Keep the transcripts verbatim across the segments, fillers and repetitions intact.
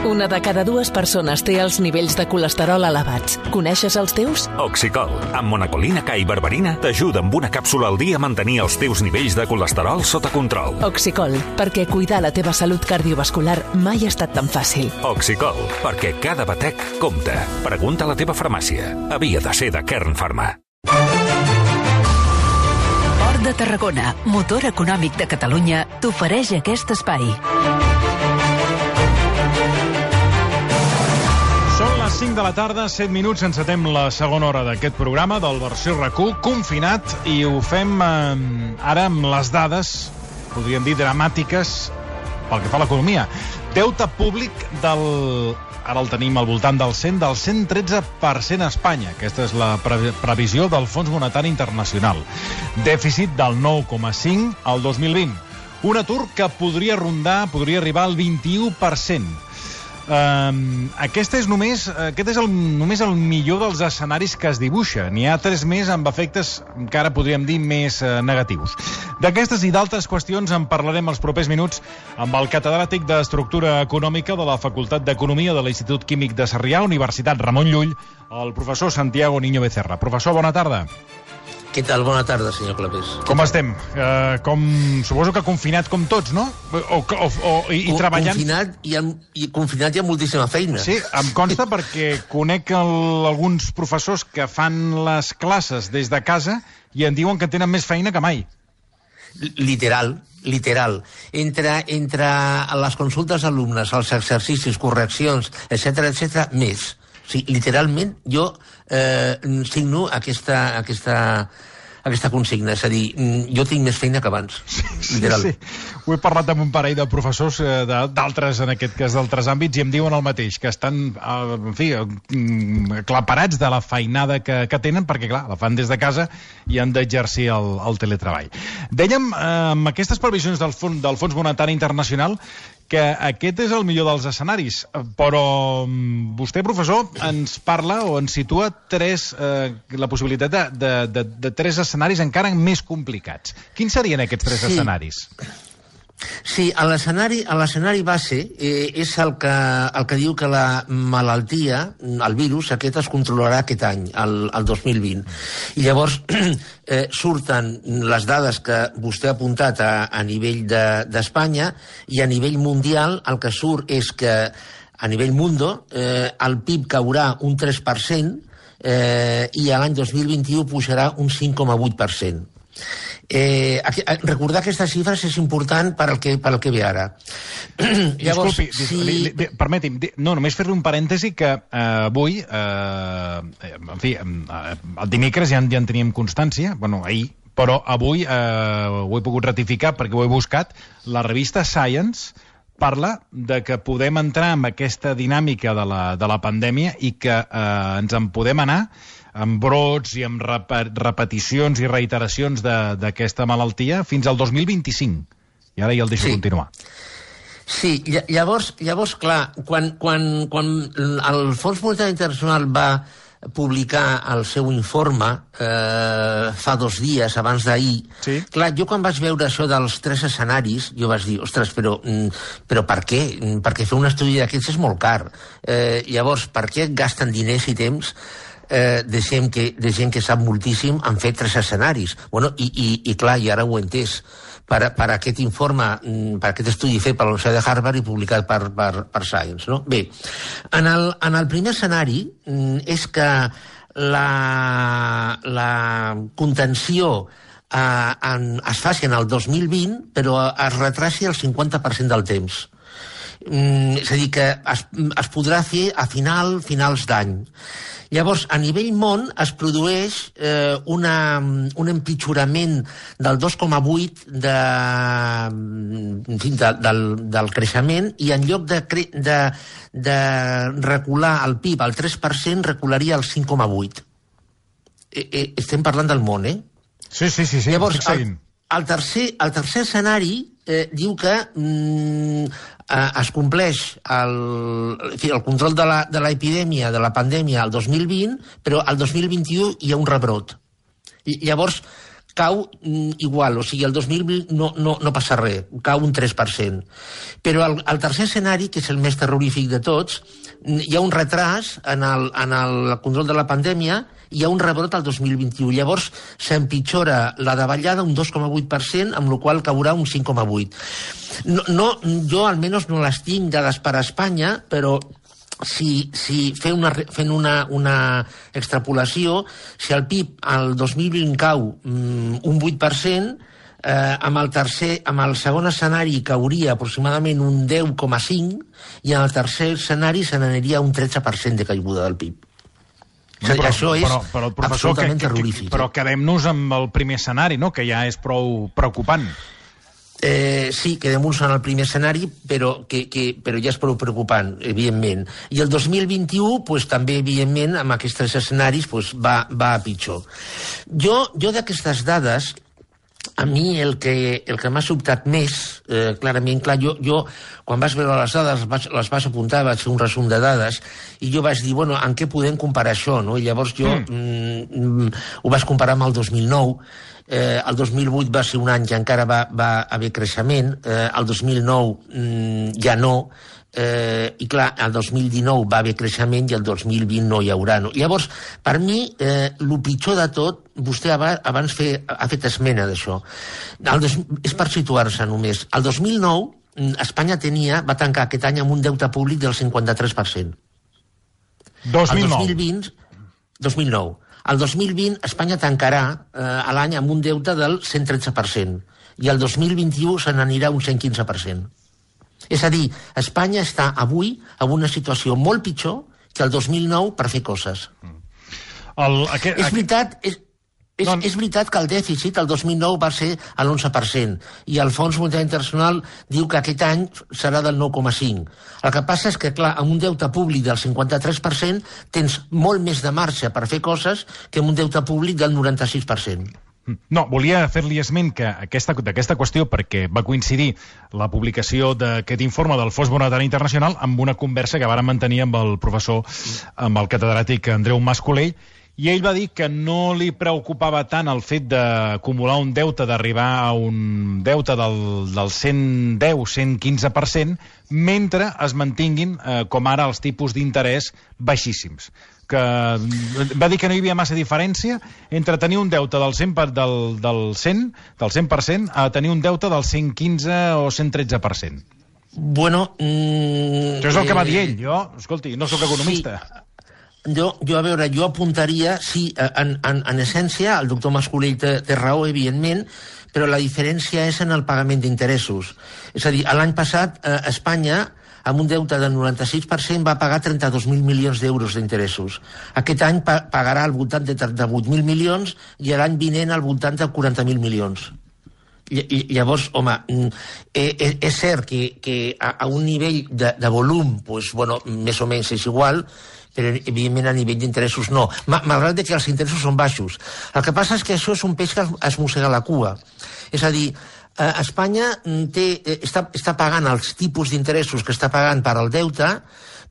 Una de cada dues persones té els nivells de colesterol elevats. Coneixes els teus? Oxicol, amb monacolina K i berberina, t'ajuda amb una càpsula al dia a mantenir els teus nivells de colesterol sota control. Oxicol, perquè cuidar la teva salut cardiovascular mai ha estat tan fàcil. Oxicol, perquè cada batec compta. Pregunta a la teva farmàcia. Havia de ser de Kern Pharma. Port de Tarragona, motor econòmic de Catalunya, t'ofereix aquest espai. Són les cinc de la tarda, set minuts, encetem la segona hora d'aquest programa del versió R A C U, confinat, i ho fem eh, ara amb les dades, podríem dir dramàtiques, pel que fa a l'economia. Deute públic del... Ara el tenim al voltant del cent, del cent tretze per cent a Espanya. Aquesta és la pre previsió del Fons Monetari Internacional. Dèficit del nou coma cinc al dos mil vint. Un atur que podria rondar, podria arribar al vint-i-u per cent. Uh, aquest és només aquest és el, només el millor dels escenaris que es dibuixa. N'hi ha tres més amb efectes encara podríem dir més uh, negatius. D'aquestes i d'altres qüestions en parlarem els propers minuts amb el catedràtic d'Estructura Econòmica de la Facultat d'Economia de l'Institut Químic de Sarrià, Universitat Ramon Llull, el professor Santiago Niño Becerra. Professor, bona tarda. Què tal? Bona tarda, senyor Clapés. Com estem? Uh, com, suposo que confinat com tots, no? O, o, o, i, i treballant... Confinat i, amb, i confinat hi ha moltíssima feina. Sí, em consta perquè conec el, alguns professors que fan les classes des de casa i em diuen que tenen més feina que mai. Literal, literal. Entre, entre les consultes d'alumnes, els exercicis, correccions, etcètera, etcètera, més. Sí, literalment, jo eh, signo aquesta, aquesta, aquesta consigna. És a dir, jo tinc més feina que abans. Sí, literal. Sí, sí. Ho he parlat amb un parell de professors eh, d'altres, en aquest cas, d'altres àmbits, i em diuen el mateix, que estan, eh, en fi, aclaparats de la feinada que, que tenen, perquè, clar, la fan des de casa i han d'exercir el, el teletreball. Dèiem, eh, amb aquestes previsions del Fons, del Fons Monetari Internacional, que aquest és el millor dels escenaris, però vostè, professor, ens parla o ens situa tres, eh, la possibilitat de, de, de, de tres escenaris encara més complicats. Quins serien aquests tres sí. escenaris? Sí, a l'escenari base eh, és el que, el que diu que la malaltia, el virus, aquest es controlarà aquest any, el, el dos mil vint. I llavors eh, surten les dades que vostè ha apuntat a, a nivell d'Espanya de, i a nivell mundial el que surt és que a nivell mundo eh, el P I B caurà un tres per cent eh, i a l'any dos mil vint-i-u pujarà un cinc coma vuit per cent. Eh, aquí, recordar aquestes xifres és important per al que, per al que ve ara. Llavors, disculpi, si... li, li, permeti'm, no, només fer-li un parèntesi que eh, avui, eh, en fi, eh, el dimecres ja en, ja en teníem constància, bueno, ahir, però avui eh, ho he pogut ratificar perquè ho he buscat, la revista Science parla de que podem entrar en aquesta dinàmica de la, de la pandèmia i que eh, ens en podem anar amb brots i amb rep repeticions i reiteracions d'aquesta malaltia fins al dos mil vint-i-cinc. I ara ja el deixo sí. continuar. Sí, llavors, llavors clar, quan, quan, quan el Fons Monetari Internacional va publicar el seu informe eh, fa dos dies, abans d'ahir, sí. clar, jo quan vaig veure això dels tres escenaris, jo vaig dir, ostres, però, però per què? Perquè fer un estudi d'aquests és molt car. Eh, llavors, per què gasten diners i temps Eh, de, gent que, de gent que sap moltíssim han fet tres escenaris. Bueno, i, i, i clar, i ara ho he entès. Per, per aquest informe, per aquest estudi fet per la Universitat de Harvard i publicat per, per, per Science. No? Bé, en el, en el primer escenari és que la, la contenció eh, en, es faci en el dos mil vint, però es retraci el cinquanta per cent del temps. Mm, és a dir, que es, es podrà fer a final, finals d'any. Llavors, a nivell món es produeix eh, una, un empitjorament del dos coma vuit de, en fi, de, del, del creixement i en lloc de, de, de recular el P I B al tres per cent, recularia al cinc coma vuit. Eh, eh, estem parlant del món, eh? Sí, sí, sí. sí Llavors, el, el, tercer, el tercer escenari eh, diu que mm, eh, es compleix el, el control de la, de l'epidèmia, de la pandèmia, el dos mil vint, però el dos mil vint-i-u hi ha un rebrot. I, llavors, cau igual, o sigui, el dos mil vint no, no, no passa res, cau un tres per cent. Però el, el tercer escenari, que és el més terrorífic de tots, hi ha un retras en el, en el control de la pandèmia, hi ha un rebrot al dos mil vint-i-u. Llavors s'empitjora la davallada un dos coma vuit per cent, amb la qual caurà un cinc coma vuit. No, no, jo almenys no les tinc dades per a Espanya, però si, si fent, una, fent una, una extrapolació, si el P I B al dos mil vint cau mm, un vuit per cent, eh, amb, el tercer, amb el segon escenari cauria aproximadament un deu coma cinc i en el tercer escenari se n'aniria un tretze per cent de caiguda del P I B. Però, o sigui, això és però, però, professor, absolutament que, terrorífic. Que, però quedem-nos amb el primer escenari, no?, que ja és prou preocupant. Eh, sí, quedem-nos en el primer escenari, però, que, que, però ja és prou preocupant, evidentment. I el dos mil vint-i-u, pues, també, evidentment, amb aquests tres escenaris, pues, va, va a pitjor. Jo, jo d'aquestes dades, a mi el que, el que m'ha sobtat més, eh, clarament, clar, jo, jo quan vas veure les dades, les vaig, les vaig apuntar, vaig fer un resum de dades, i jo vaig dir, bueno, en què podem comparar això, no? I llavors jo mm. Mm, ho vaig comparar amb el dos mil nou. Eh, el dos mil vuit va ser un any que encara va, va haver creixement, eh, el dos mil nou mm, ja no, eh, i clar, el dos mil dinou va haver creixement i el dos mil vint no hi haurà. No? Llavors, per mi, eh, el pitjor de tot, vostè abans fe, ha fet esmena d'això, és per situar-se només. El dos mil nou, Espanya tenia, va tancar aquest any amb un deute públic del cinquanta-tres per cent. dos mil nou. El dos mil vint, dos mil nou. El dos mil vint Espanya tancarà eh, l'any amb un deute del cent tretze per cent i el dos mil vint-i-u se n'anirà un cent quinze per cent. És a dir, Espanya està avui en una situació molt pitjor que el dos mil nou per fer coses. El, aquest, és veritat... És, És, no, és veritat que el dèficit el dos mil nou va ser a l'onze per cent i el Fons Monetari Internacional diu que aquest any serà del nou coma cinc. El que passa és que, clar, amb un deute públic del cinquanta-tres per cent tens molt més de marge per fer coses que amb un deute públic del noranta-sis per cent. No, volia fer-li esment que aquesta, d'aquesta qüestió perquè va coincidir la publicació d'aquest informe del Fons Monetari Internacional amb una conversa que vàrem mantenir amb el professor, amb el catedràtic Andreu Mas-Colell, i ell va dir que no li preocupava tant el fet d'acumular un deute, d'arribar a un deute del, del cent deu a cent quinze per cent, mentre es mantinguin, eh, com ara, els tipus d'interès baixíssims. Que va dir que no hi havia massa diferència entre tenir un deute del cent, del, del cent, del cent per cent a tenir un deute del cent quinze o cent tretze per cent. Bueno... Mm, Això és el que va dir ell. Jo, escolti, no sóc economista. Sí. Jo, jo, a veure, jo apuntaria, sí, en, en, en essència, el doctor Mas-Colell té, té raó, evidentment, però la diferència és en el pagament d'interessos. És a dir, l'any passat, eh, Espanya, amb un deute del noranta-sis per cent, va pagar trenta-dos mil milions d'euros d'interessos. Aquest any pa pagarà al voltant de trenta-vuit mil milions i l'any vinent al voltant de quaranta mil milions. I, llavors, home, és, és cert que, que a, a un nivell de, de volum, pues, bueno, més o menys és igual, però evidentment a nivell d'interessos no, malgrat que els interessos són baixos. El que passa és que això és un peix que es mossega la cua. És a dir, eh, Espanya té, està, està pagant els tipus d'interessos que està pagant per al deute,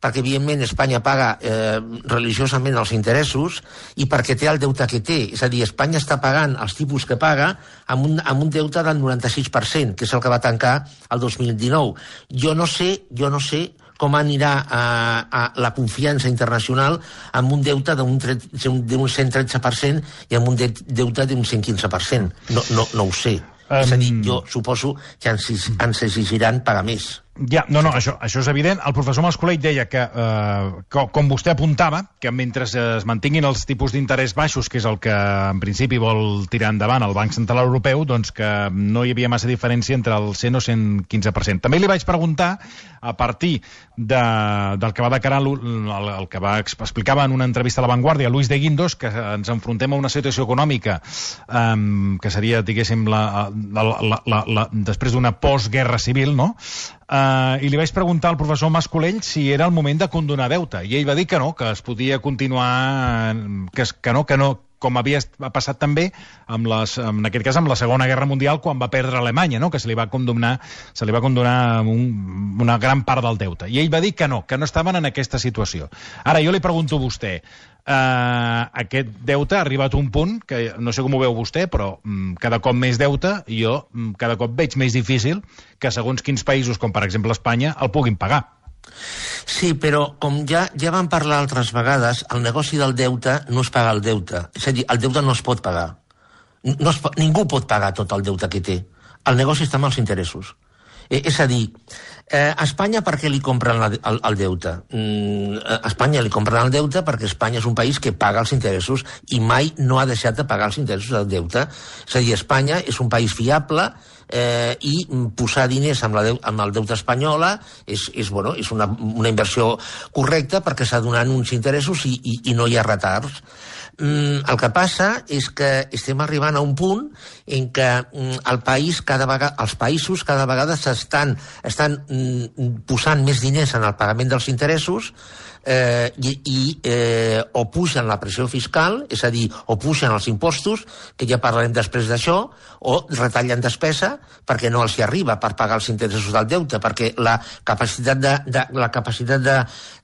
perquè evidentment Espanya paga eh, religiosament els interessos i perquè té el deute que té. És a dir, Espanya està pagant els tipus que paga amb un, amb un deute del noranta-sis per cent, que és el que va tancar el dos mil dinou. Jo no sé, jo no sé com anirà a, a la confiança internacional amb un deute d'un cent tretze per cent i amb un deute d'un cent quinze per cent. No, no, no ho sé. Um... És a dir, jo suposo que ens, ens exigiran pagar més. Ja, no, no, això, això és evident. El professor Mas-Colell deia que, eh, que, com vostè apuntava, que mentre es mantinguin els tipus d'interès baixos, que és el que en principi vol tirar endavant el Banc Central Europeu, doncs que no hi havia massa diferència entre el cent o cent quinze per cent. També li vaig preguntar, a partir de, del que va declarar, el, el que va explicava en una entrevista a La Vanguardia, Luis de Guindos, que ens enfrontem a una situació econòmica eh, que seria, diguéssim, la, la, la, la, la, després d'una postguerra civil, no?, Uh, i li vaig preguntar al professor Mas-Colell si era el moment de condonar deute, i ell va dir que no, que es podia continuar, que, que no, que no, com havia passat també, amb les, en aquest cas, amb la Segona Guerra Mundial, quan va perdre Alemanya, no? Que se li va condonar, se li va condonar un, una gran part del deute. I ell va dir que no, que no estaven en aquesta situació. Ara, jo li pregunto a vostè, eh, aquest deute ha arribat a un punt, que no sé com ho veu vostè, però mm, cada cop més deute, i jo mm, cada cop veig més difícil que segons quins països, com per exemple Espanya, el puguin pagar. Sí, però com ja, ja vam parlar altres vegades, el negoci del deute no es paga el deute. És a dir, el deute no es pot pagar. No es, ningú pot pagar tot el deute que té. El negoci està amb els interessos. Eh, és a dir, eh, a Espanya per què li compren la, el, el deute? Mm, a Espanya li compren el deute perquè Espanya és un país que paga els interessos i mai no ha deixat de pagar els interessos del deute. És a dir, Espanya és un país fiable, Eh, i posar diners amb, la deu, amb el deute espanyola és, és, bueno, és una, una inversió correcta perquè s'ha donat uns interessos i, i, i no hi ha retards. Mm, el que passa és que estem arribant a un punt en què mm, el país cada vegada, els països cada vegada s'estan estan mm, posant més diners en el pagament dels interessos, eh, i, i eh, o pugen la pressió fiscal, és a dir, o pugen els impostos, que ja parlarem després d'això, o retallen despesa perquè no els hi arriba per pagar els interessos del deute, perquè la capacitat de, de, la capacitat de,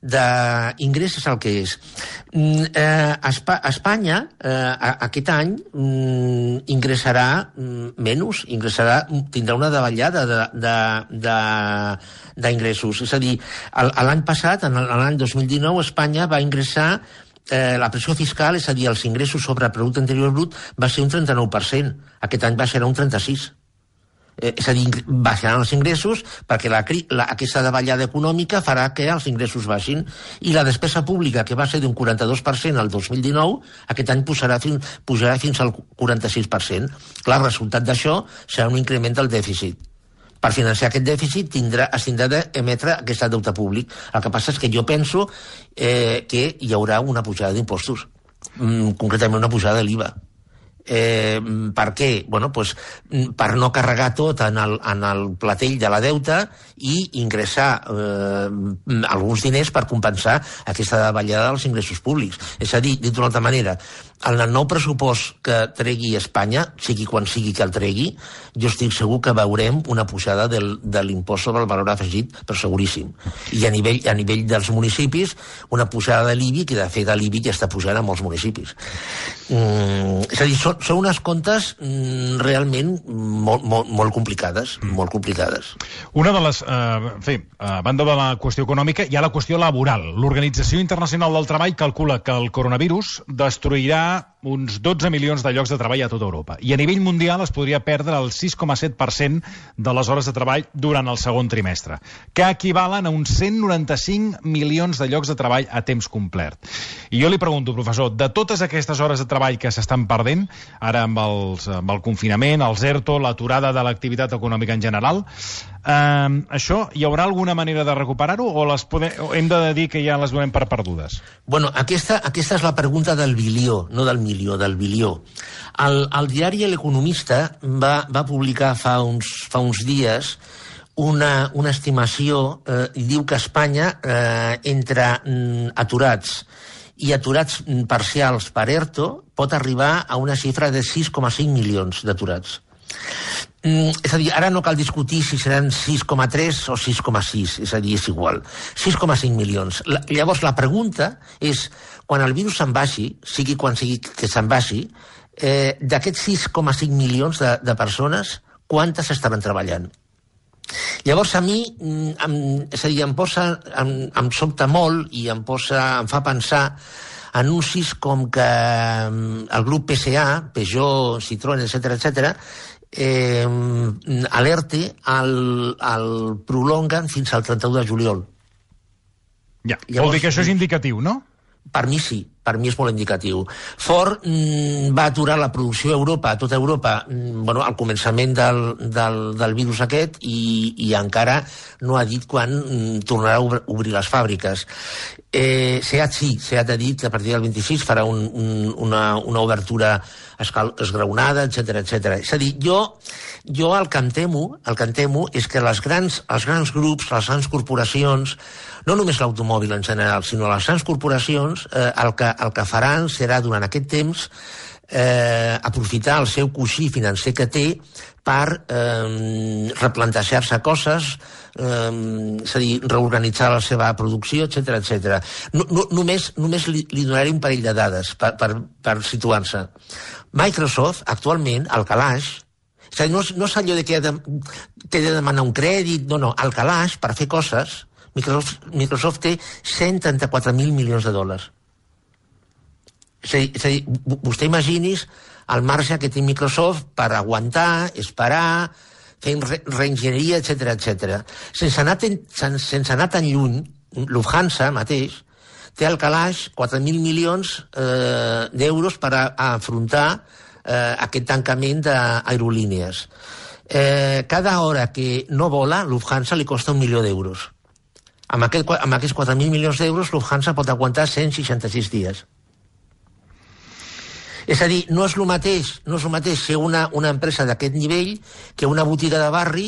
d'ingrés és el que és. Mm, eh, a Espanya, eh, aquest any, mm, ingressarà mm, menys, ingressarà, tindrà una davallada de, de, de, d'ingressos. És a dir, l'any passat, en l'any dos mil dinou, Espanya va ingressar eh, la pressió fiscal, és a dir, els ingressos sobre el producte interior brut, va ser un trenta-nou per cent. Aquest any va ser un trenta-sis per cent. Eh, és a dir, baixaran els ingressos perquè la, la, aquesta davallada econòmica farà que els ingressos baixin, i la despesa pública, que va ser d'un quaranta-dos per cent al dos mil dinou, aquest any pujarà fins, pujarà fins al quaranta-sis per cent. Clar, el resultat d'això serà un increment del dèficit. Per financiar aquest dèficit tindrà, es tindrà d'emetre aquest deute públic. El que passa és que jo penso eh, que hi haurà una pujada d'impostos, mm, concretament una pujada de l'I V A. Eh, per què? Bueno, pues, per no carregar tot en el, en el platell de la deuta i ingressar eh, alguns diners per compensar aquesta davallada dels ingressos públics. És a dir, dit d'una altra manera, en el nou pressupost que tregui Espanya, sigui quan sigui que el tregui, jo estic segur que veurem una pujada del, de l'impost sobre el valor afegit, però seguríssim. I a nivell, a nivell dels municipis, una pujada de l'I B I, que de fet l'I B I ja està pujant a molts municipis. Mm, és a dir, són, són unes comptes mm, realment molt, molt, molt complicades, molt complicades. Una de les, eh, en fi, a banda de la qüestió econòmica, hi ha la qüestió laboral. L'Organització Internacional del Treball calcula que el coronavirus destruirà uns dotze milions de llocs de treball a tota Europa. I a nivell mundial es podria perdre el sis coma set per cent de les hores de treball durant el segon trimestre, que equivalen a uns cent noranta-cinc milions de llocs de treball a temps complet. I jo li pregunto, professor, de totes aquestes hores de treball que s'estan perdent, ara amb, els, amb el confinament, els ERTO, l'aturada de l'activitat econòmica en general, eh, això, hi haurà alguna manera de recuperar-ho o, les podem, o hem de dir que ja les donem per perdudes? Bueno, aquesta, aquesta és la pregunta del bilió, no del milió, del bilió. El, el diari L'Economista va, va publicar fa uns, fa uns dies una, una estimació, eh, i diu que a Espanya, eh, entre mm, aturats i aturats parcials per ERTO, pot arribar a una xifra de sis coma cinc milions d'aturats. Mm, és a dir, ara no cal discutir si seran sis coma tres o sis coma sis, és a dir, és igual. sis coma cinc milions. La, llavors, la pregunta és, quan el virus se'n vagi, sigui quan sigui que se'n vagi, eh, d'aquests sis coma cinc milions de, de persones, quantes estaran treballant? Llavors, a mi, em, és a dir, em posa, em, em sobta molt i em, posa, em fa pensar anuncis com que el grup P S A, Peugeot, Citroën, etcètera, etcètera, eh, l'ERTE el, el prolonguen fins al trenta-u de juliol. Ja, llavors, vol dir que això és indicatiu, no? Per mi sí, per mi és molt indicatiu. Ford mm, va aturar la producció a Europa, a tota Europa, mm, bueno, al començament del, del, del virus aquest, i, i encara no ha dit quan mm, tornarà a obrir les fàbriques. Eh, SEAT sí, SEAT ha dit que a partir del vint-i-sis farà un, un, una, una obertura escal, esgraonada, etcètera, etcètera. És a dir, jo, jo el que em temo, el que em temo és que les grans, els grans grups, les grans corporacions, no només l'automòbil en general, sinó les grans corporacions, eh, el, que, el que faran serà, durant aquest temps, eh, aprofitar el seu coixí financer que té per eh, replantejar-se coses, eh, és a dir, reorganitzar la seva producció, etcètera, etcètera. No, no, només només li, li donaré un parell de dades per, per, per situar-se. Microsoft, actualment, al calaix, és a dir, no, no és allò de que ha de, té de demanar un crèdit, no, no, al calaix, per fer coses, Microsoft, Microsoft té cent trenta-quatre mil milions de dòlars. És a dir, és a dir, vostè imagini's el marge que té Microsoft per aguantar, esperar, fer re reenginyeria, etcètera, etcètera. Sense anar, ten, sense anar tan lluny, Lufthansa mateix té al calaix quatre mil milions eh, d'euros per a, a afrontar eh, aquest tancament d'aerolínies. Eh, cada hora que no vola, Lufthansa li costa un milió d'euros. Amb, aquest, amb aquests quatre mil milions d'euros, Lufthansa pot aguantar cent seixanta-sis dies. És a dir, no és el mateix, no és el mateix ser una, una empresa d'aquest nivell que una botiga de barri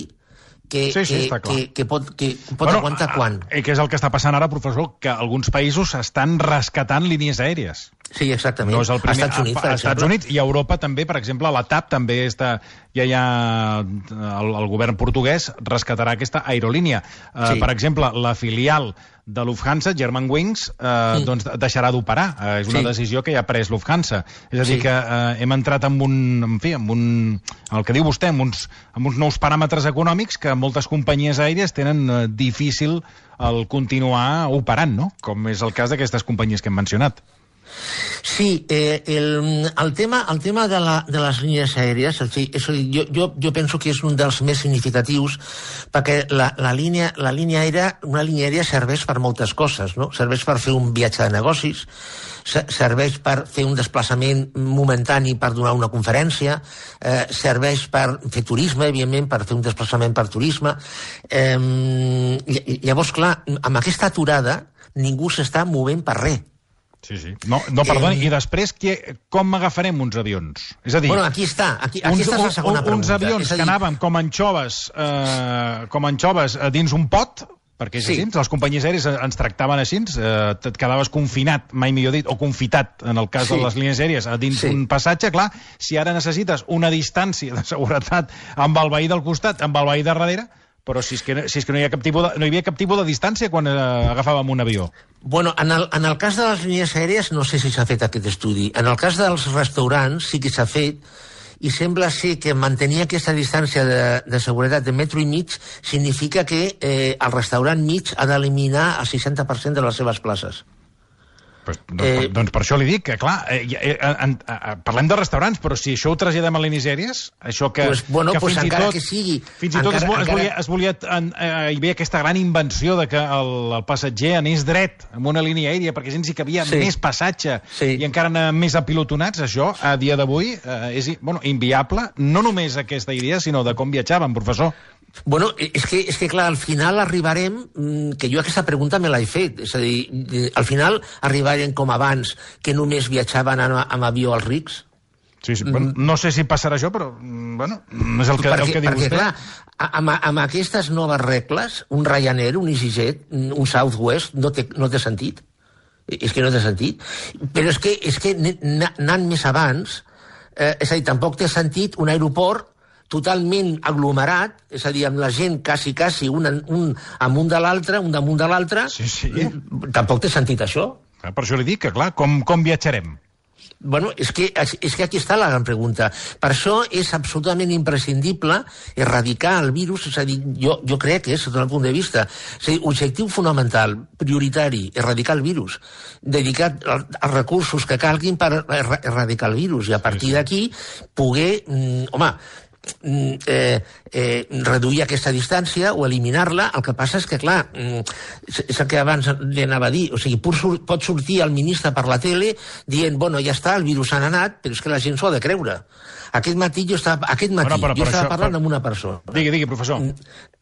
que, sí, sí, que, que, que pot, que pot bueno, aguantar quan. I què és el que està passant ara, professor? Que alguns països estan rescatant línies aèries. Sí, exactament. No és el primer, a Estats Units, a, a Estats Units i a Europa també, per exemple, la TAP també està, ja hi ha el, el govern portuguès rescatarà aquesta aerolínia. Uh, sí. Per exemple, la filial de Lufthansa, Germanwings, eh, mm. doncs deixarà d'operar. Eh, és una sí. decisió que ja ha pres Lufthansa. És a dir, sí. que eh, hem entrat en un, en fi, en un, el que diu vostè, en uns, en uns nous paràmetres econòmics que moltes companyies aèries tenen eh, difícil el continuar operant, no? Com és el cas d'aquestes companyies que hem mencionat. Sí, eh, el, el, tema, el tema de, la, de les línies aèries, o sigui, és, jo, jo, jo penso que és un dels més significatius perquè la, la, línia, la línia aèria, una línia aèria serveix per moltes coses, no? Serveix per fer un viatge de negocis, serveix per fer un desplaçament momentani per donar una conferència, eh, serveix per fer turisme, evidentment, per fer un desplaçament per turisme. Eh, llavors, clar, amb aquesta aturada ningú s'està movent per res. Sí, sí. No, no perdoni, eh, i després que, com agafarem uns avions? És a dir... Bueno, aquí està, aquí, aquí uns, està la segona pregunta. Uns avions dir... que anàvem com anxoves, eh, com anxoves dins un pot, perquè és sí. així, les companyies aèries ens tractaven així, eh, et quedaves confinat, mai millor dit, o confitat, en el cas sí. de les línies aèries, dins sí. un passatge, clar, si ara necessites una distància de seguretat amb el veí del costat, amb el veí de darrere, però si és que, si és que no, hi ha cap tipus de, no hi havia cap tipus de distància quan eh, agafàvem un avió. Bueno, en el, en el cas de les línies aèries no sé si s'ha fet aquest estudi. En el cas dels restaurants sí que s'ha fet i sembla ser que mantenir aquesta distància de, de seguretat de metro i mig significa que eh, el restaurant mig ha d'eliminar el seixanta per cent de les seves places. Pues, doncs, eh, doncs per això li dic que, clar, eh, eh, eh, eh, parlem de restaurants, però si això ho traslladem a línies aèries, això que, pues, bueno, que pues fins encara i tot, que sigui, fins i tot encara, es, es, encara... volia, es volia en, eh, hi havia aquesta gran invenció de que el, el passatger anés dret amb una línia aèria, perquè així hi cabia sí. més passatge sí. i encara anava més apilotonats. Això, a dia d'avui, eh, és bueno, inviable, no només aquesta idea, sinó de com viatjàvem, professor. Bueno, és que, és que clar, al final arribarem, que jo aquesta pregunta me l'he fet, és a dir, al final arribarem com abans, que només viatjaven amb, amb avió els rics. Sí, sí, bueno, no sé si passarà això, però, bueno, no és el que, perquè, el que diu perquè, vostè. Clar, amb, amb aquestes noves regles, un Ryanair, un EasyJet, un Southwest, no té, no té sentit. És que no té sentit. Però és que, és que anant més abans, eh, és a dir, tampoc té sentit un aeroport totalment aglomerat, és a dir, amb la gent quasi, quasi, un, un amunt de l'altre, un damunt de l'altre. Sí, sí. Tampoc té sentit això. Per això li dic que, clar, com, com viatjarem? Bueno, és que, és que aquí està la gran pregunta. Per això és absolutament imprescindible erradicar el virus, és a dir, jo, jo crec que és, sota el punt de vista, és a dir, objectiu fonamental, prioritari, erradicar el virus, dedicar els recursos que calguin per erradicar el virus, i a partir sí, sí. d'aquí poder, mm, home, Eh, eh, reduir aquesta distància o eliminar-la. El que passa és que, clar, és el que abans li anava a dir, o sigui, pot sortir el ministre per la tele dient, bueno, ja està, el virus ha anat, però és que la gent s'ho ha de creure. Aquest matí jo estava, aquest matí, bueno, jo estava això, parlant per... amb una persona. Digui, digui, professor.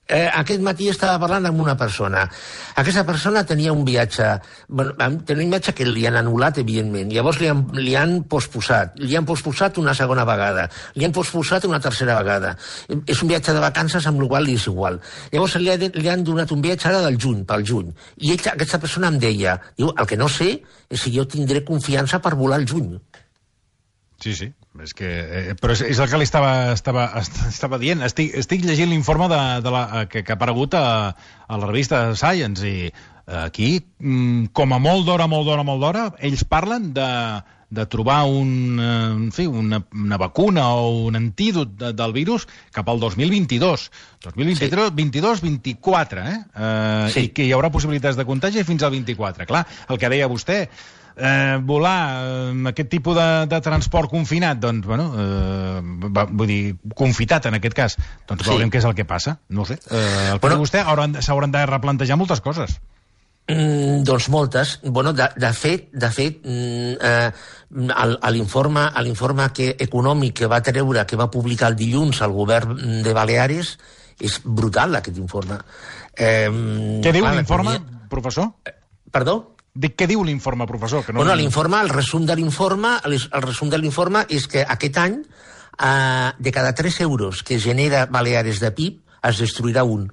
Eh, aquest matí estava parlant amb una persona. Aquesta persona tenia un viatge, bueno, tenia un viatge que li han anul·lat, evidentment. Llavors li han, li han posposat. Li han posposat una segona vegada. Li han posposat una tercera vegada. És un viatge de vacances, amb el qual li és igual. Llavors li, ha, li han donat un viatge ara del juny, pel juny. I ell, aquesta persona em deia, diu, el que no sé és si jo tindré confiança per volar al juny. Sí, sí, és que, eh, però és, és el que li estava, estava, estava dient. Estic, estic llegint l'informe de, de la, que, que ha aparegut a, a la revista Science i aquí, com a molt d'hora, molt d'hora, molt d'hora, ells parlen de, de trobar un, en fi, una, una vacuna o un antídot de, del virus cap al dos mil vint-i-dos. dos mil vint-i-tres, sí. vint-i-dos vint-i-quatre, eh? eh sí. I que hi haurà possibilitats de contagi fins al vint-i-quatre. Clar, el que deia vostè, Eh, volar amb eh, aquest tipus de, de transport confinat, doncs, bueno, eh, va, vull dir, confitat en aquest cas, doncs sí. Veurem què és el que passa, no ho sé. Eh, el que bueno, vostè s'hauran de replantejar moltes coses. Mm, doncs moltes. Bueno, de, de fet, de fet mm, eh, a l'informe a l'informe que, econòmic que va treure, que va publicar el dilluns el govern de Baleares, és brutal aquest informe. Eh, què diu l'informe, professor? Perdó? Dic, què diu l'informe, professor? Que no... Bueno, l'informe, el resum de l'informe, el resum de l'informe és que aquest any, eh, de cada tres euros que genera Baleares de P I B, es destruirà un.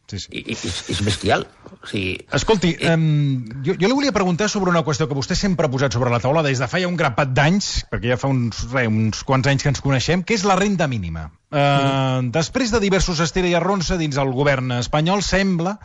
Sí, sí. I, és, és bestial. O sigui, escolti, eh, um, jo, jo li volia preguntar sobre una qüestió que vostè sempre ha posat sobre la taula des de fa ja un grapat d'anys, perquè ja fa uns, re, uns quants anys que ens coneixem, que és la renda mínima. Uh, mm. Després de diversos estira i arronsa dins el govern espanyol, sembla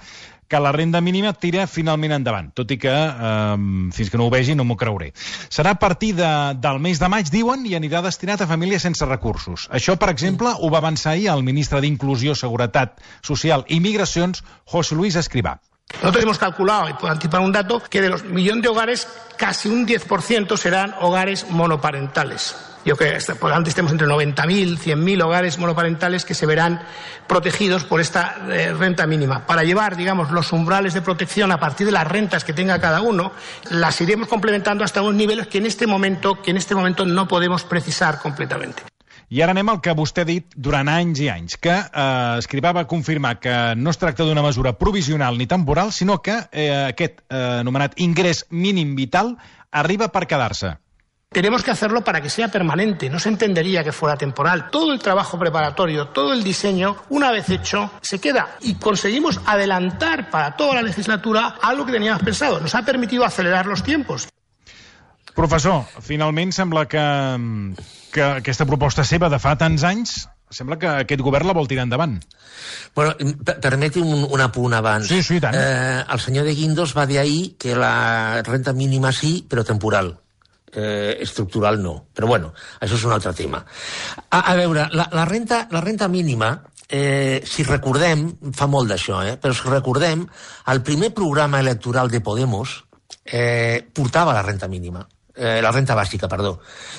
que la renda mínima tira finalment endavant, tot i que eh, fins que no ho vegi no m'ho creuré. Serà a partir de, del mes de maig, diuen, i anirà destinat a famílies sense recursos. Això, per exemple, ho va avançar ahir el ministre d'Inclusió, Seguretat Social i Migracions, José Luis Escrivá. Nosotros hemos calculado, y puedo anticipar un dato, que de los millón de hogares, casi un diez por ciento serán hogares monoparentales. Yo creo que por antes tenemos entre noventa mil, cien mil hogares monoparentales que se verán protegidos por esta eh, renta mínima. Para llevar, digamos, los umbrales de protección a partir de las rentas que tenga cada uno, las iremos complementando hasta unos niveles que en este momento, que en este momento no podemos precisar completamente. I ara anem al que vostè ha dit durant anys i anys, que eh, Escrivá va confirmar que no es tracta d'una mesura provisional ni temporal, sinó que eh, aquest eh, anomenat ingrés mínim vital arriba per quedar-se. Tenemos que hacerlo para que sea permanente, no se entendería que fuera temporal. Todo el trabajo preparatorio, todo el diseño, una vez hecho, se queda. Y conseguimos adelantar para toda la legislatura algo que teníamos pensado. Nos ha permitido acelerar los tiempos. Professor, finalment sembla que, que aquesta proposta seva de fa tants anys, sembla que aquest govern la vol tirar endavant. Bueno, permeti un, un apunt abans. Sí, sí, tant. Eh, el senyor de Guindos va dir ahir que la renta mínima sí, però temporal. Eh, estructural no. Però bueno, això és un altre tema. A, a veure, la, la, renta, la renta mínima, eh, si recordem, fa molt d'això, eh, però si recordem, el primer programa electoral de Podemos eh, portava la renta mínima. Eh, la renta bàsica, perdó.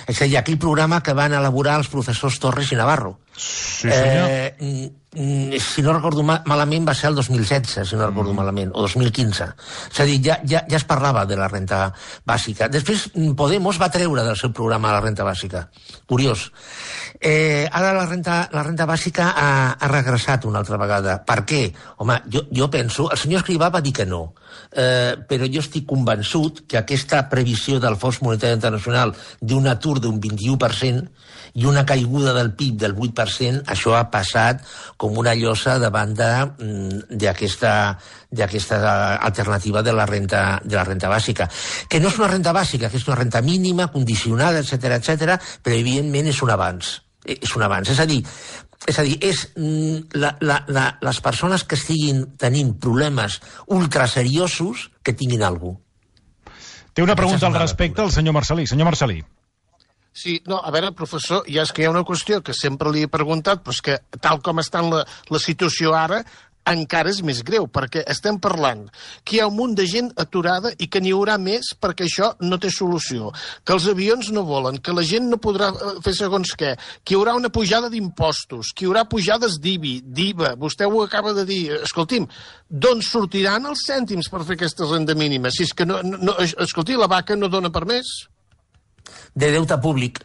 És a dir, aquell programa que van elaborar els professors Torres i Navarro. Sí, senyor. Eh, si no recordo ma malament va ser el dos mil setze, si no recordo mm. malament, o dos mil quinze. És a dir, ja, ja, ja es parlava de la renta bàsica. Després Podemos va treure del seu programa la renta bàsica. Curiós. Eh, ara la renta, la renta bàsica ha, ha regressat una altra vegada. Per què? Home, jo, jo penso... El senyor Escrivá va dir que no, eh, però jo estic convençut que aquesta previsió del Fons Monetari Internacional d'un atur d'un vint-i-u per cent i una caiguda del P I B del vuit per cent, això ha passat com una llosa davant d'aquesta d'aquesta alternativa de la renta de la renta bàsica, que no és una renta bàsica, que és una renta mínima, condicionada, etcètera, etcètera, però evidentment és un avanç. És un avanç. És a dir, és a dir, és la, la, la, les persones que estiguin tenint problemes ultraseriosos que tinguin alguna cosa. Té una pregunta al respecte al senyor Marcelí. Senyor Marcelí. Sí, no, a veure, professor, ja és que hi ha una qüestió que sempre li he preguntat, però és que tal com està la, la situació ara, encara és més greu, perquè estem parlant que hi ha un munt de gent aturada i que n'hi haurà més perquè això no té solució, que els avions no volen, que la gent no podrà fer segons què, que hi haurà una pujada d'impostos, que hi haurà pujades d'I B I, d'I V A, vostè ho acaba de dir, escolti'm, d'on sortiran els cèntims per fer aquesta renda mínima? Si és que no, no, escolti, la vaca no dona per més. De deute públic.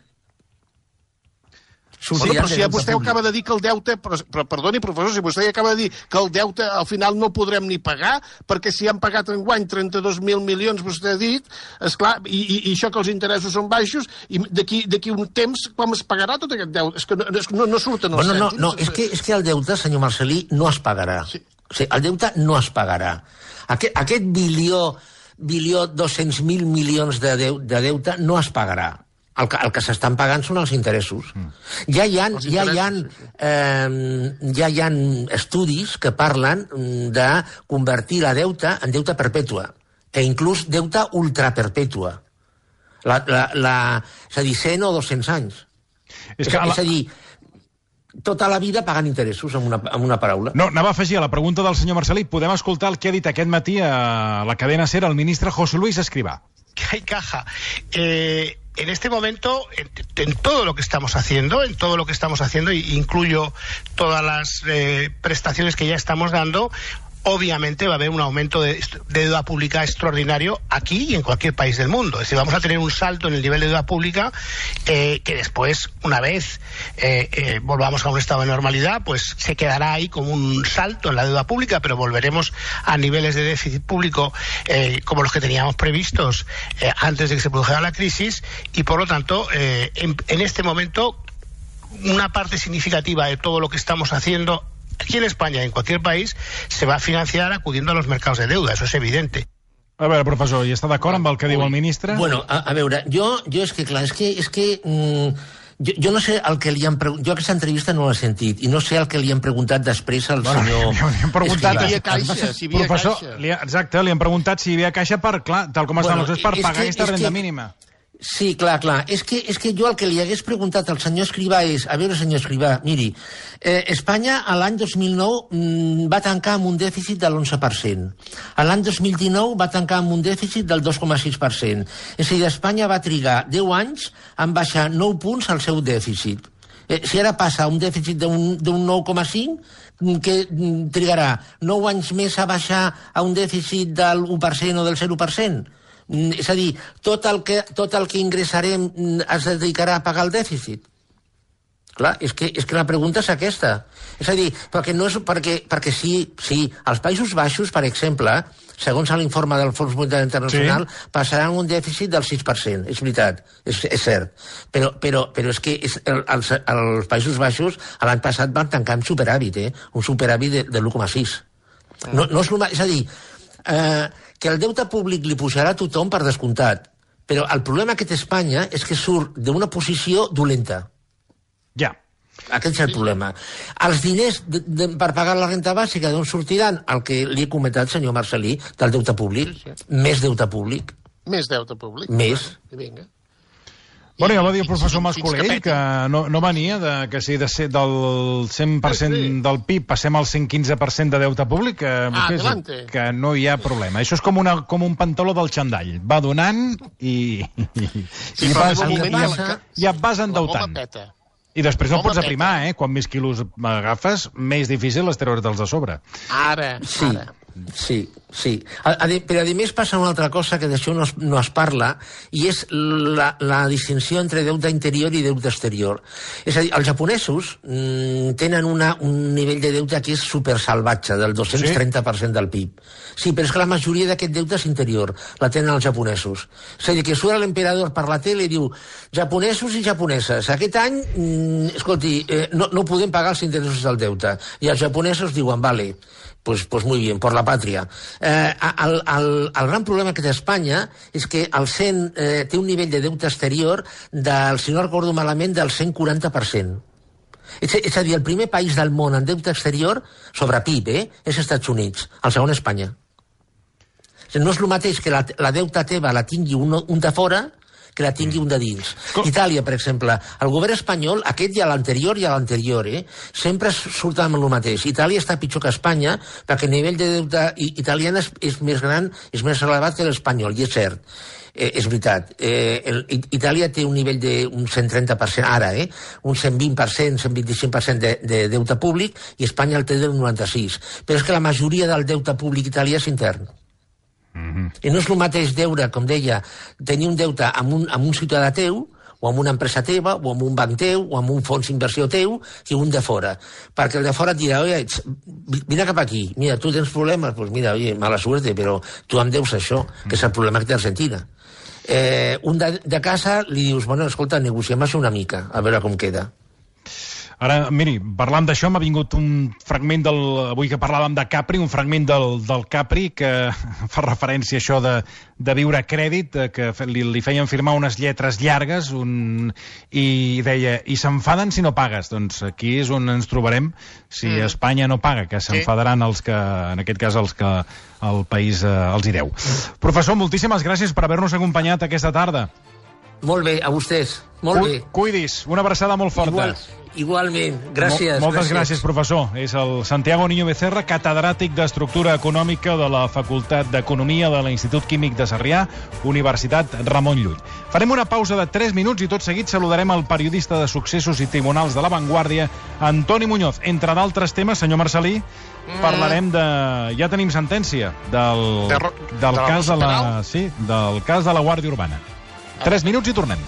Bueno, però si ja vostè públic. Acaba de dir que el deute, però, però perdoni, professor, si vostè acaba de dir que el deute al final no podrem ni pagar, perquè si han pagat enguany trenta-dos mil milions, vostè ha dit, esclar, i, i, i això que els interessos són baixos, i d'aquí un temps com es pagarà tot aquest deute? És que no, no, no surten els bueno, cèntims. No, no, és que, és que el deute, senyor Marcelí, no es pagarà. Sí. O sigui, el deute no es pagarà. Aquest, aquest bilió bilió dos-cents mil milions de, deu de deute no es pagarà. El que, el que s'estan pagant són els interessos. Mm. Ja hi ha, ja hi ha, eh, ja hi ha estudis que parlen de convertir la deuta en deuta perpètua, e inclús deuta ultraperpètua. La, la, la, és a dir, cent o dos-cents anys. És, que és, la... és a dir, tota la vida pagant interessos, amb una, amb una paraula. No, anava a afegir a la pregunta del senyor Marcelí. Podem escoltar el que ha dit aquest matí a la cadena SER el ministre José Luis Escrivá. Que hay caja. Eh... En este momento, en, en todo lo que estamos haciendo, en todo lo que estamos haciendo, incluyo todas las eh, prestaciones que ya estamos dando, obviamente va a haber un aumento de, de deuda pública extraordinario aquí y en cualquier país del mundo. Es decir, vamos a tener un salto en el nivel de deuda pública eh, que después, una vez eh, eh, volvamos a un estado de normalidad, pues se quedará ahí como un salto en la deuda pública, pero volveremos a niveles de déficit público eh, como los que teníamos previstos eh, antes de que se produjera la crisis, y por lo tanto, eh, en, en este momento, una parte significativa de todo lo que estamos haciendo aquí en España y en cualquier país se va a financiar acudiendo a los mercados de deuda, eso es evidente. A veure, professor, i està d'acord amb el que diu el ministre? Bueno, a, a veure, jo, jo és que, clar, és que, és que mm, jo, jo no sé el que li han preguntat, jo aquesta entrevista no l'he sentit, i no sé el que li han preguntat després al bueno, senyor... Li han preguntat... Si hi havia caixa, si hi havia professor, caixa. Li ha, exacte, li han preguntat si hi havia caixa per, clar, tal com estan bueno, els per pagar que, aquesta renda que... mínima. Sí, clar, clar. És que, és que jo el que li hagués preguntat al senyor Escrivá és... A veure, senyor Escrivá, miri, eh, Espanya a l'any dos mil nou mm, va tancar amb un dèficit de l'onze per cent. A l'any dos mil dinou va tancar amb un dèficit del dos coma sis per cent. És a dir, Espanya va trigar deu anys en baixar nou punts al seu dèficit. Eh, si ara passa un dèficit d'un nou coma cinc, que trigarà nou anys més a baixar a un dèficit del u per cent o del zero per cent? És a dir, tot el que, tot el que ingressarem es dedicarà a pagar el dèficit? Clar, és que, és que la pregunta és aquesta. És a dir, perquè, no és, perquè, perquè sí, sí, als Països Baixos, per exemple, segons l'informe del Fons Monetari Internacional, sí, passaran un dèficit del sis per cent, és veritat, és, és cert. Però, però, però és que és, el, els, els Països Baixos l'any passat van tancar amb superàvit, eh? Un superàvit de, de l'u coma sis. No, no és, és a dir, eh, que el deute públic li pujarà a tothom per descomptat, però el problema que té Espanya és que surt d'una posició dolenta. Ja. Aquest és el problema. Els diners de, de, per pagar la renta bàsica d'on sortiran? El que li he comentat, senyor Marcelí, del deute públic. Sí, sí. Més deute públic. Més deute públic. Més. Vinga. Bueno, ja va dir el professor Mascolell que no, no venia de, que si de ser del cent per cent del P I B passem al cent quinze per cent de deute públic, que, ah, que, que no hi ha problema. Això és com, una, com un pantaló del xandall. Va donant i, i, sí, i, vas, i, i, i et vas endeutant. I després no pots aprimar, eh? Quan més quilos agafes, més difícil és treure'ls a sobre. Ara, sí. ara. Sí, sí. A, a, però a més passa una altra cosa que d'això no, es, no es parla, i és la, la distinció entre deute interior i deute exterior. És a dir, els japonesos mmm, tenen una, un nivell de deute que és supersalvatge, del dos-cents trenta per cent del P I B. Sí, però és que la majoria d'aquest deute és interior, la tenen els japonesos. És a dir, que surt l'emperador per la tele i diu japonesos i japoneses, aquest any, mmm, escolti, eh, no, no podem pagar els interessos del deute. I els japonesos diuen, vale, Pues, pues muy bien, por la patria. Eh, el, el, el gran problema que té Espanya és que el cent, eh, té un nivell de deute exterior del, si no recordo malament, del cent quaranta per cent. És, és a dir, el primer país del món en deute exterior, sobre P I B, eh, és Estats Units, el segon Espanya. No és el mateix que la, la deuta teva la tingui un, un de fora que la tingui un de dins. Com? Itàlia, per exemple, el govern espanyol, aquest i l'anterior i l'anterior, eh, sempre surt amb el mateix. Itàlia està pitjor que Espanya, perquè el nivell de deute italià és, és més gran, és més elevat que l'espanyol, i és cert. Eh, és veritat. Eh, el, Itàlia té un nivell d'un cent trenta per cent ara, eh, un cent vint per cent, cent vint-i-cinc per cent de, de deute públic, i Espanya el té del noranta-sis. Però és que la majoria del deute públic italià és intern. Mm-hmm. I no és el mateix deure, com deia, tenir un deute amb un, amb un ciutadà teu, o amb una empresa teva, o amb un banc teu, o amb un fons d'inversió teu, que un de fora. Perquè el de fora et dirà, oye, vine cap aquí, mira, tu tens problemes, pues mira, oye, mala suerte, però tu em deus això, que és el problema que té Argentina. Eh, un de, de casa li dius, bueno, escolta, negociem això una mica, a veure com queda. Ara, miri, parlant d'això, m'ha vingut un fragment del... Avui que parlàvem de Capri, un fragment del, del Capri que fa referència a això de, de viure a crèdit, que li, li feien firmar unes lletres llargues un, i deia, i s'enfaden si no pagues. Doncs aquí és on ens trobarem si mm. Espanya no paga, que s'enfadaran els que, en aquest cas, els que el país eh, els hi deu. Professor, moltíssimes gràcies per haver-nos acompanyat aquesta tarda. Molt bé, a vostès. Molt Cu bé. Cuidis, una abraçada molt forta. Igual, igualment, gràcies. Mol, moltes gràcies. gràcies, professor. És el Santiago Niño Becerra, catedràtic d'Estructura Econòmica de la Facultat d'Economia de l'Institut Químic de Sarrià, Universitat Ramon Llull. Farem una pausa de tres minuts i tot seguit saludarem el periodista de successos i tribunals de La Vanguardia, Antoni Muñoz. Entre d'altres temes, senyor Marcelí, mm. parlarem de... Ja tenim sentència del, de, del, de cas de la, sí, del cas de la Guàrdia Urbana. Tres minuts i tornem.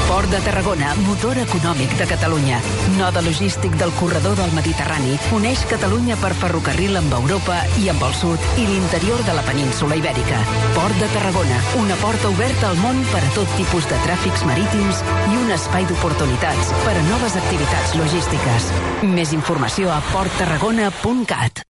Port de Tarragona, motor econòmic de Catalunya. Node logístic del corredor del Mediterrani, uneix Catalunya per ferrocarril amb Europa i amb el sud i l'interior de la península Ibèrica. Port de Tarragona, una porta oberta al món per a tot tipus de tràfics marítims i un espai d'oportunitats per a noves activitats logístiques. Més informació a port tarragona punt cat.